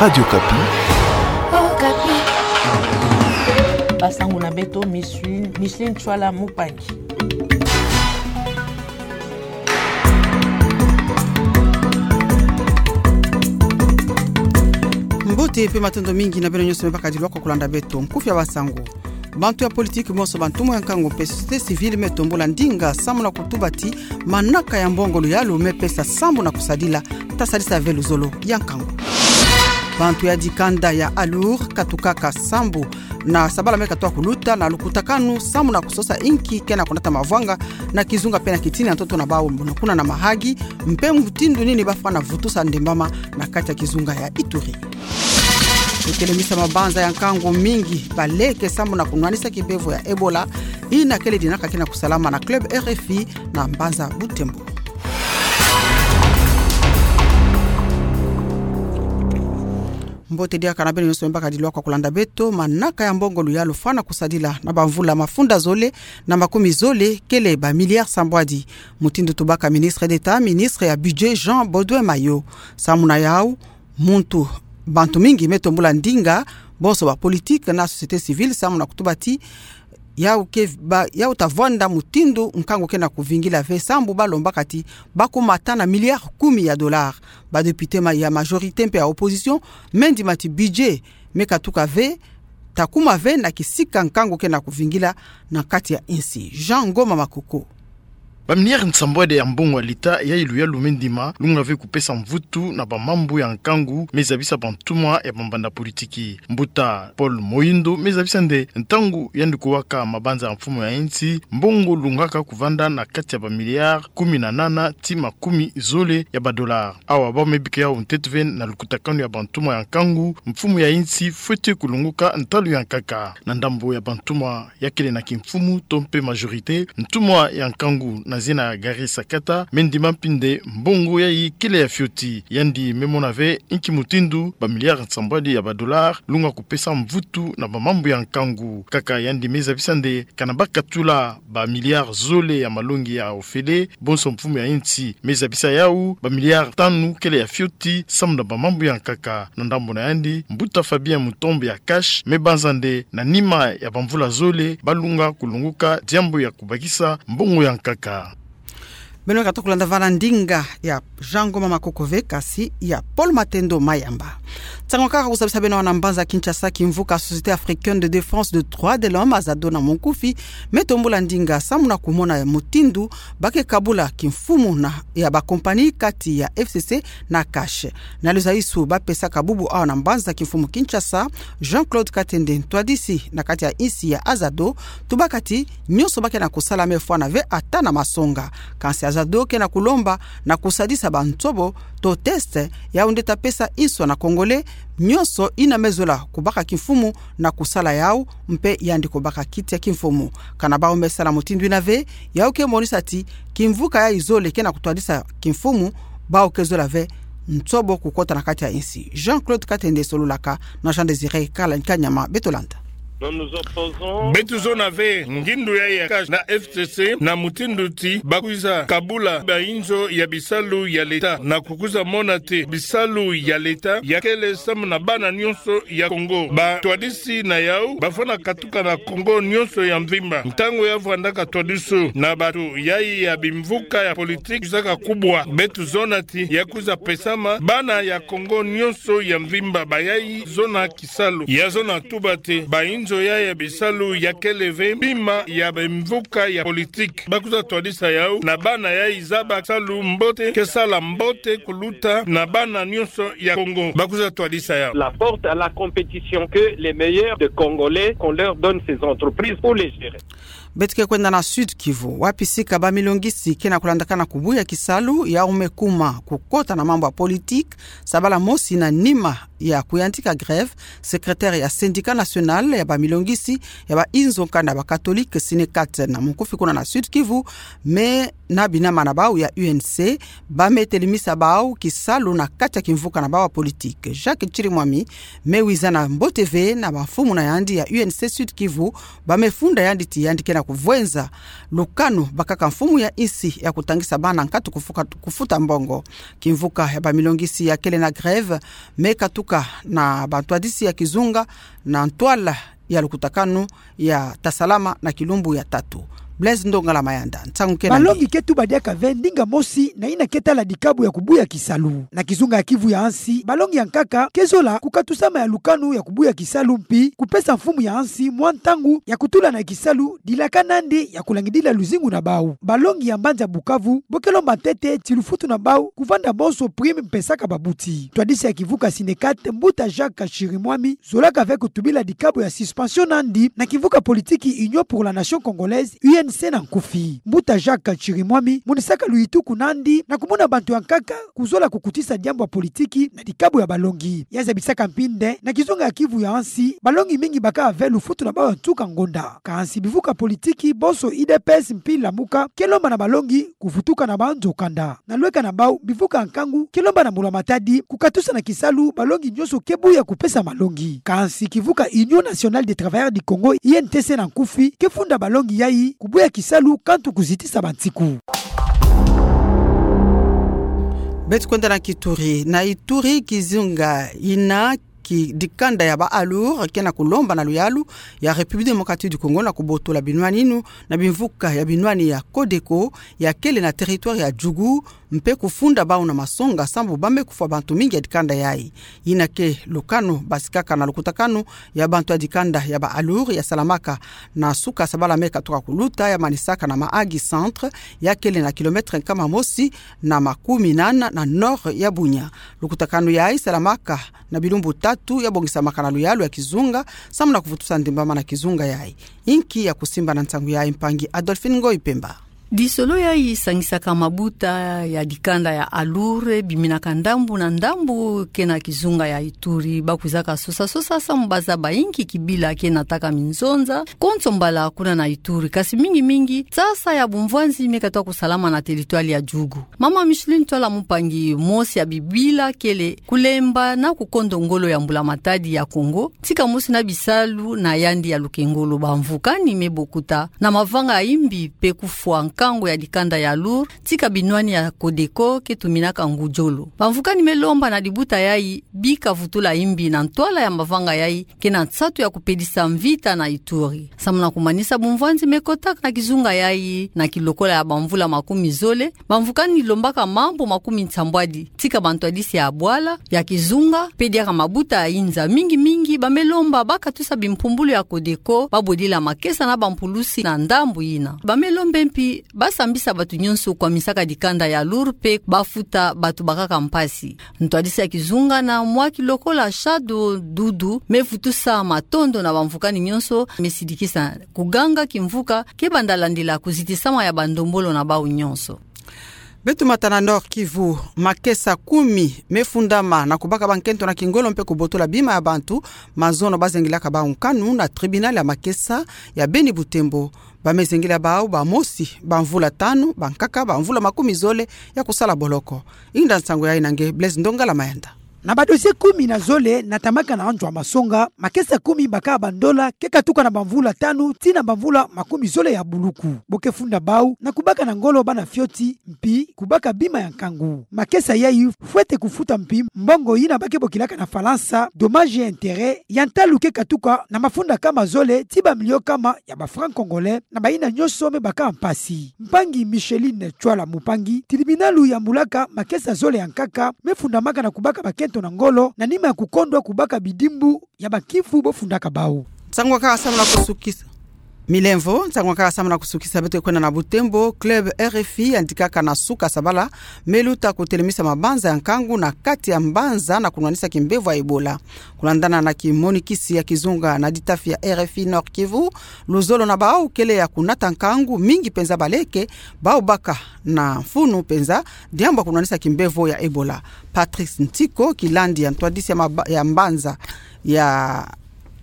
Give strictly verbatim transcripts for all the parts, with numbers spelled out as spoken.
Radio Okapi. Okapi. Basango na beto, Micheline, Micheline Chwala Mupangi. Mbote mpe matondo mingi na beno nyonso me bakadilwa kwa kulanda beto. Nkufi ya basango. Bantu ya politiki bonso, bantumwa ya nkangu mpe société civile me tombula ndinga samu na kutuba ti manaka ya mbongo luyalu me pesa sambu na kusadila, ta sadisa ve luzolo ya nkangu. Bantu ya dikanda ya ALUR katukaka sambu na sabala me katoa kuluta na lukutakanu samu na kusosa inki ke na kunata mavwanga na kizunga mpe na kitini ya ntoto na bawu, na kuna na Mahagi, mpe mutindu nini bafwana vutusa ndembama na kati ya kizunga ya Ituri. Kutelemisa mabanza ya nkangu mingi baleke samu na kunwanisa kibevo ya Ebola, ina kele dinaka ke na kusalama na club R F I na mbanza Butembo. Mbote diaka na beno nyonso me bakadilwa kwa kulanda beto. Manaka ya mbongo luyalu fwana kusadila na bamvula mafunda zole na makumi zole kele ba milliards sambwadi. Mutindu tubaka ministre d'État, ministre ya budget, Jean Baudouin Mayo. Samu na yawu, muntu, bantu mingi me tombula ndinga, bonso ba politiki na société civile, samu na kutuba ti yawu ke ba, yawu ta vwanda mutindu nkangu ke na kuvingila ve, sambu balombaka ti bakumata na milliards kumi ya dollars. Ba députés ma, ya majorité mpe ya opposition me ndima ti budget me katuka ve, ta kuma ve na kisika nkangu ke na kuvingila na kati ya insi. Jean Ngoma Makoko. Ba milliards nsambwadi ya mbongo ya leta yayi luyalu me ndima lunga ve kupesa mvutu na bamambu ya nkangu me zabisa bantumwa ya bambanda politiki. Mbuta Paul Moyindo me zabisa nde ntangu yandi kuwaka mabanza ya mfumu ya insi, mbongo lungaka kuvanda na kati ya ba milliards kumi na nana ti makumi zole ya ba dollars. Awa bawu me bika yawu ntete ve na lukutakanu ya bantumwa ya nkangu, mfumu ya insi fwete kulongoka ntalu ya nkaka. Na ndambo ya bantumwa ya kele na kimfumu to mpe majorité, ntumwa ya nkangu na zina ya Gary Sakata me ndima mpinde mbongo yayi kele ya fioti. Yandi me mona ve inki mutindu ba milliards nsambwadi ya ba dollars lunga kupesa mvutu na bamambu ya nkangu. Kaka yandi me zabisa nde kana bakatula ba milliards zole ya malongi ya ofele, bonso mfumu ya insi me zabisa yawu ba milliards tanu kele ya fioti samu na bamambu ya nkaka. Na ndambo na yandi, mbuta Fabien Mutombo ya Cash me banza nde na nima ya bamvula zole balunga kulongoka diambu ya kubakisa mbongo ya nkaka. Beno katokulanda va na ndinga ya Jean Ngoma Makoko ve, kasi ya Paul Matendo Mayamba. Nsangu kaka kusabisa beno awa na mbanza Kinshasa, kimvuka Société Africaine de Défense de Droits de l'Homme, AZADO na monkufi, me tombula ndinga samu na kumona mutindu ba ke kabula kimfumu na ya ba compagnie kati ya F C C na Cash. Na luzaisu ba pesaka bubu awa na mbanza kimfumu Kinshasa, Jean-Claude Katende, ntwadisi na kati ya insi ya AZADO, tubaka ti nyonso ba ke na kusala me fwana ve ata na masonga. Kansi AZADO ke na kulomba na kusadisa ba nsobo to test, yawu nde ta pesa inso na Congolais nyonso ina me zola kubaka kimfumu na kusala yawu, mpe yandi kubaka kiti ya kimfumu. Kana bawu me sala mutindu ina ve, yawu ke monisa ti kimvuka yayi zole ke na kutwadisa kimfumu, bawu ke zola ve nsobo kukota na kati ya insi. Jean-Claude Katende sololaka na Jean Désiré Kala-, Kanyama. Beto landa. Beto zona ve ngindu yayi ya Cash na F C C na mutindu ti ba kwiza kabula ba inzo ya bisalu ya leta, na kukwiza mona ti bisalu ya leta ya kele samu na bana nyonso ya Congo. Batwadisi na yawu ba fwana katuka na Congo nyonso ya mvimba. Ntangu ya vwandaka twadisu na bato yayi ya bimvuka ya politique kwizaka kubwa, beto zona ti ya kwiza pesama bana ya Congo nyonso ya mvimba. Bayayi zona kisalu, ya zona tuba ti ba inzo yayi ya bisalu ya kele ve bima ya bimvuka ya politique. Ba kwiza twadisa yawu na bana yayi zaba salu mbote, ke sala mbote kuluta na bana nyonso ya Congo. Ba kwiza twadisa yawu. La porte à la compétition, que les meilleurs de Congolais, qu'on leur donne ces entreprises pour les gérer. Beto ke kwenda na Sud-Kivu, wapi sika ba milongisi ke na kulandakana kubuya kisalu, yawu me kuma kukota na mambu ya politique, sabala mosi na nima ya kuyantika grève, secrétaire ya Syndicat National ya ba milongisi ya ba inzo nkanda ba Catholique, Synecat, na monkufi kuna na Sud-Kivu, me na binama na bawu ya U N C, ba me telemisa bawu kisalu na kati ya kimvuka na bawu ya politique. Jacques Chirimwami me wiza na mbote ve na bamfumu na yandi ya U N C Sud-Kivu, ba me funda yandi ti yandi ke na ya kuvwenza lukanu bakaka mfumu ya insi ya kutangisa bana nkatu kufuka-, kufuta mbongo. Kimvuka ya bamilongisi ya kele na grève me katuka na bantwadisi ya kizunga na ntwala ya lukutakanu ya tasalama na kilumbu ya tatu. Blaise Ndongala Mayanda, nsangu ke nandi. Balongi ke tuba diaka ve ndinga mosi na yina ke tala dikabu ya kubuya kisalu. Na kizunga ya Kivu ya nsi, balongi ya nkaka ke zola kukatusama ya lukanu ya kubuya kisalu mpi kupesa mfumu ya nsi mwa ntangu ya kutula na kisalu, dilaka nandi ya kulangidila luzingu na bau. Balongi ya mbanza Bukavu bo ke lomba ntete ti lufutu na bau kuvanda bonso prime mpesaka babuti. Ntwadisi ya kivuka Synecat, mbuta Jacques Chirimwami, zolaka ve kutubila dikabu ya suspension nandi na kivuka politiki Union pour la Nation Congolaise, U N C na nkufi. Mbuta Jacques Chirimwami monisaka luyitu ku nandi na kumona bantu ya nkaka kuzola kukutisa diambu ya politiki na dikabu ya balongi. Ya zabisaka mpi nde na kizunga ya Kivu ya nsi, balongi mingi bakaka ve lufutu na bau ya nsuka ngonda. Kansi bivuka politiki bonso U D P S mpi Lamuka ke lomba na balongi kuvutuka na banzo kanda. Na lweka na bau, bivuka ya nkangu ke lomba na mbula matadi kukatusa na kisalu balongi nyonso ke buya kupesa malongi. Kansi kivuka Union Nationale des Travailleurs du Congo, U N T C na nkufi, ke funda balongi yayi kubuya kisalu kantu kuzitisa bansiku. Beto kwenda na kIturi. Na Ituri, kizunga yina ki dikanda ya ba ALUR ke na kulomba na luyalu ya République Démocratique du Congo na kubotola binwani yinu na bimvuka ya binwani ya CODECO ya kele na territoire ya Djugu, mpe kufunda bau na masonga sambu ba me kufwa bantu mingi ya dikanda yayi. Yina ke lukanu basikaka na lukutakanu ya bantu ya dikanda ya ba ALUR ya salamaka na suka sabala me katuka kuluta, ya manisaka na Mahagi Centre, ya kele na kilomètre nkama mosi na makumi nana na nord ya Bunia. Lukutakanu yayi salamaka na bilumbu tatu, ya bongisamaka na luyalu ya kizunga samu na kuvutusa ndimbama na kizunga yayi. Inki ya kusimba na nsangu yayi? Mpangi Adolphine Ngoyi Pemba. Lisolo yayi sangisaka mabuta ya dikanda ya ALUR biminaka ndambu na ndambu ke na kizunga ya Ituri. Ba kwizaka sosa-sosa samu ba zaba inki kibila ke nataka minzonza konso mbala kuna na Ituri, kasi mingi-mingi sasa ya bumvwanzi me katuka kusalama na territoire ya Djugu. Mama Micheline Twala, mupangi mosi ya bibila kele kulemba na kukondo ngolo ya mbula matadi ya Congo, tika mosi na bisalu na yandi ya lukengolo, bamvukani me bokuta na mavanga ya imbi mpe kufwa nkangu ya dikanda ya ALUR tika binwani ya CODECO ke tuminaka ngujolo. Bamvukani me lomba na dibuta yayi bika vutula imbi na ntwala ya mavanga yayi ke na nsatu ya kupelisa mvita na Ituri. Samu na kumanisa bumvwanzi me kotaka na kizunga yayi na kilokola ya bamvula makumi zole, bamvukani lombaka mambu makumi nsambwadi tika bantwadisi ya bwala ya kizunga mpe diaka mabuta ya inza. Mingi-mingi ba me lomba ba katusa bimpumbulu ya CODECO, ba bwedila makesa na bampulusi na ndambu yina. Ba me lomba mpi ba sambisa bantu nyonso kwamisaka dikanda ya ALUR mpe ba futa bantu bakaka mpasi. Ntwadisi ya kizunga na mwa kilokola Shadow Doudou me vutusa matondo na bamvukani nyonso, me sidikisa kuganga kimvuka ke banda landila kuzitisama ya bandombolo na bau nyonso. Beto mata na Nord-Kivu. Makesa kumi me fundama na kubaka bankento na kingolo mpe kubotola bima ya bantu mazono ba zengilaka bau nkanu na tribunal ya makesa ya Beni Butembo. Ba me zengila bau bamosi bamvula tanu, bankaka bamvula makumi zole ya kusala boloko. Inda nsangu yayi na nge Blaise Ndongala Mayanda. Na badossier kumi na zole natamaka na nzo ya masonga, makesa kumi bakaka bandola ke katuka na bamvula tanu tii na bamvula makumi zole ya buluku. Bo ke funda bau na kubaka na ngolo bana fioti mpi kubaka bima ya nkangu. Makesa yayi fwete kufuta mpi mbongo yina ba ke bokilaka na Falansa dommages et intérêts, ya ntalu ke katuka na mafunda kama zole tii bamilio kama ya ba francs congolais na bayina nyonso me baka mpasi. Mpangi Micheline Twala, mupangi tribunal yambulaka makesa zole ya nkaka me fundamaka na kubaka bakento na ngolo na nima ya kukondwa kubaka bidimbu ya bakifu bo fundaka bau. Nsangu wakaka samu na kusukisa. Milemvo, nsangu wakaka samu na kusukisa. Beto kwenda na Butembo. Club R F I yandikaka na suka sabala me luta kutelemisa mabanza ya nkangu na kati ya mbanza na kunwanisa kimbevo ya Ebola. Kulandana na kimonikisi ya kizunga na ditafi ya R F I Nord-Kivu, luzolo na bau kele ya kunata nkangu mingi mpenza baleke, bau baka na mfunu mpenza diambu ya kunwanisa kimbevo ya Ebola. Patrice Ntiko, kilandi ya ntwadisi ya maba-, ya mbanza ya,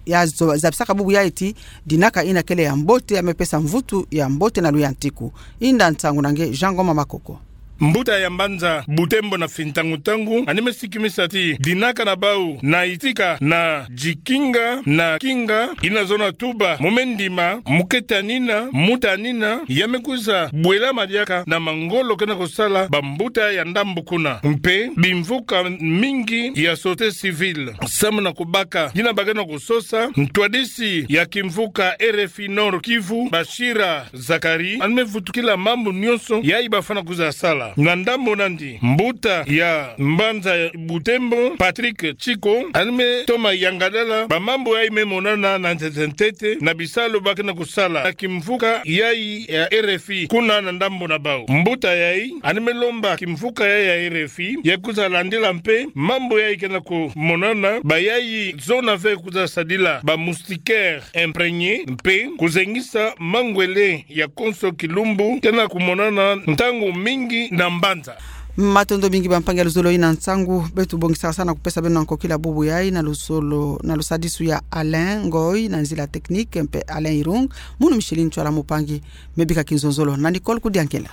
ya zo-, zabisaka bubu yayi ti dinaka yina kele ya mbote, ya me pesa mvutu ya mbote na luyantiku. Inda nsangu na nge Jean Ngoma Makoko. Mbuta ya mbanza Butembo na Fintangu-Tangu, yandi me sikimisa ti dinaka na bau na itika na jikinga na kinga, yina zona tuba mu me ndima, mu keta nina, mbuta nina, ya me kwiza bwela madiaka na mangolo kena kusala bambuta ya ndambu kuna. Mpe bimvuka mingi ya société civile samu na kubaka yina ba kena kusosa. Ntwadisi ya kimvuka R F I Nord-Kivu, Bashira Zacharie, yandi me vutukila mambu nyonso yayi bafwana kwiza sala. Na ndambu nandi, mbuta ya mbanza Butembo, Patrick Chiko, yandi me toma yangalala bamambu yayi me monana na ntete-ntete na bisalu ba kena kusala na kimvuka yayi ya R F I kuna na ndambu na bau. Mbuta yayi yandi me lomba kimvuka yayi ya R F I ya kwiza landila mpe mambu yayi kena kumonana, bayayi zona ve kwiza sadila ba moustiquaire imprégné, mpe kuzengisa mangwele ya konso kilumbu kena kumonana ntangu mingi na mbanza. Matondo mingi bampangi ya luzolo ina nsangu. Beto bongisa sana kupesa beno na nkokila bubu yayi na luzolo, na lusadisu ya Alain Ngoy, na nzila technique mpe Alain Irung, munu Micheline Ntsoila Mpangi. Me bika kinzonzolo na Nicole Kudiankela.